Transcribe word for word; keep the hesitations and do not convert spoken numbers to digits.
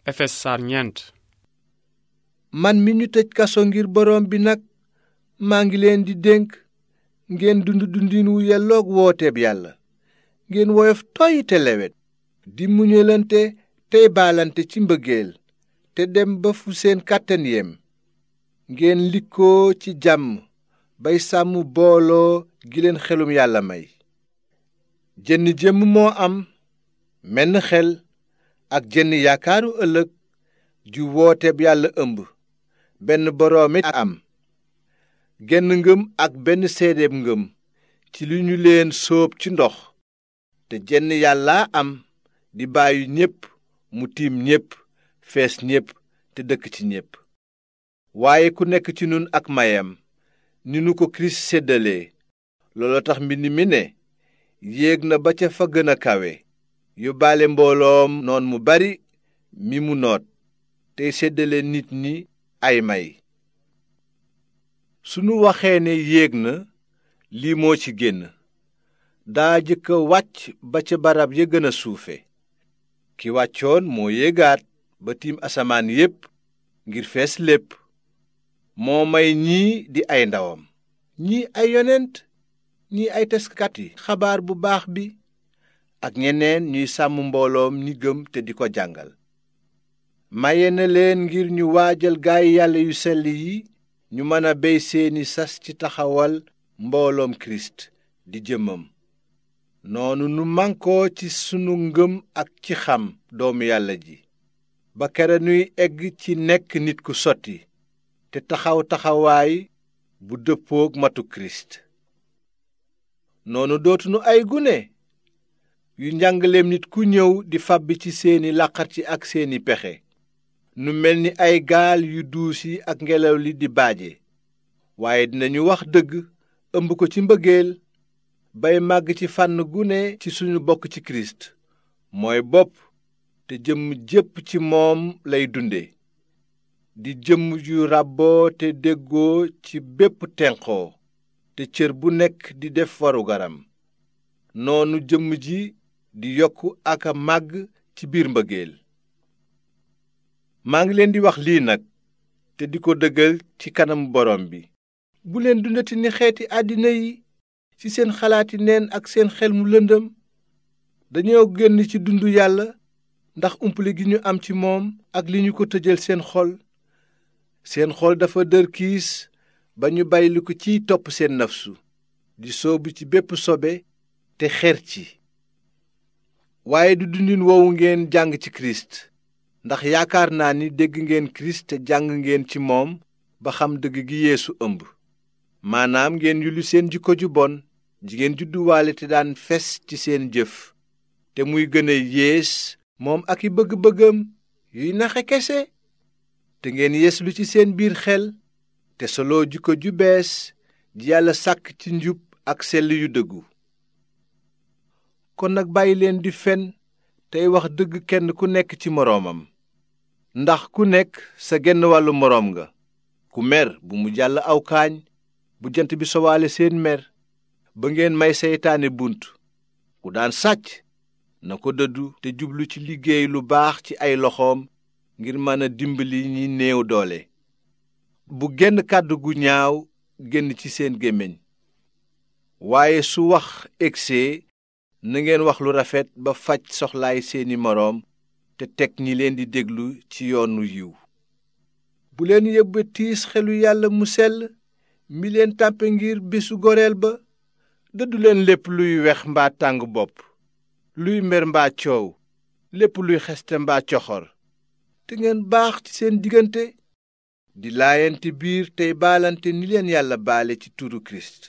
Efes saar ñeent. man mi ñu tëj kaso ngir boroom bi nag maa ngi leen di dénk ngeen dund dundin wu yelloog wooteeb yàlla, ngeen woyof toy te lewet, di muñalante tey baalante ci mbëggeel, te dem ba fu seen kàttan yem. ngeen likkoo ci jàmm bay sàmm booloo gi leen xelum yàlla may. jenn jëmm moo am, menn xel ak jenn yaakaaru ëllëg ju wooteeb yàlla ëmb, benn boroom it am, genn ngëm ak benn seedeeb ngëm ci li ñu leen sóob ci ndox, te jenn yàllaa am di bàyyi ñépp, mu tiim ñépp, fees ñépp te dëkk ci ñépp. waaye ku nekk ci nun ak mayam ni nu ko kirist séddalee. looloo tax mbind mi ne yéeg na ba ca fa gën a kawe, yóbbaale mbooloom noon mu bari mi mu noot, tey séddale nit ñi ay may. sunu waxee ne yéeg na, lii moo ci génn: daa jëkk a wàcc ba ca barab ya gën a suufe. ki wàccoon moo yéegaat ba tiim asamaan yépp ngir fees lépp. moo may ñii di ay ndawam, ñii ay yonent, ñii ay taskati xabaar bu baax bi, ak ñeneen ñuy sàmm mbooloom ñi gëm te di ko jàngal. maye na leen ngir ñu waajal gaay yàlla yu sell yi, ñu mën a bey seeni sas ci taxawal mbooloom kirist di jëmmam. noonu nu mànkoo ci sunu ngëm ak ci xam doomu yàlla ji, ba kere nuy egg ci nekk nit ku sotti te taxaw taxawaay bu dëppook matu kirist. noonu dootunu ay gune yu njàngaleem nit ku ñëw di fàbbi ci seeni làqarci ak seeni pexe. nu mel ni ay gaal yu duus yi ak ngelaw li di baaje, waaye dinañu wax dëgg ëmb ko ci mbëggeel, bay màgg ci fànn gune ci suñu bokk ci kirist mooy bopp, te jëmm jépp ci moom lay dunde, di jëmm ju ràbboo te déggoo ci bépp tenqoo, te cër bu nekk di def warugaram. noonu jëmm ji di yokk ak a màgg ci biir mbëggeel. maa ngi leen di wax lii nag te di ko dëggal ci kanam borom bi: bu leen dundati ni xeeti àddina yi ci seen xalaati neen ak seen xel mu lëndëm. dañoo génn ci dundu yàlla ndax umpule gi ñu am ci moom ak li ñu ko tëjal seen xol. seen xol dafa dër kiis ba ñu bàyyi ko ciy topp seen nafsu, di soobu ci bépp sobe te xer ci. waaye du dundin woowu ngeen jàng ci kirist, ndax yaakaar naa ni dégg ngeen kirist te jàng ngeen ci moom ba xam dëgg gi yeesu ëmb. maanaam ngeen yulli seen jikko ju bon ji ngeen judduwaale te daan fes ci seen jëf, te muy gën a yées moom ak i bëgg-bëggam yuy naxe kese. te ngeen yeeslu ci seen biir xel te soloo jikko ju bees ji yàlla sàkk ci njub ak sell yu dëggu. kon nag bàyyi leen di fen tey wax dëgg kenn ku nekk ci moroomam, ndax ku nekk sa genn wàllu moroom nga. ku mer bu mu jàll aw kaañ bu jant bi sowaale seen mer, ba ngeen may seytaane bunt. ku daan sàcc na ko dëddu te jublu ci liggéey lu baax ci ay loxoom ngir mën a dimbali ñi néew doole. bu genn kàddu gu ñaaw génn ci seen gémmiñ, waaye su wax egsee na ngeen wax lu rafet ba faj soxlaay seeni moroom te teg ñi leen di déglu ci yoonu yiw. bu leen yóbbe tiis xelu yàlla mu sell mi leen tàmpe ngir bésu goreel ba. dëddu leen lépp luy wex mbaa tàng bopp, luy mer mbaa coow, lépp luy xeste mbaa coxor. te ngeen baax ci seen diggante, di laayante biir tey baalante ni leen yàlla baale ci turu kirist.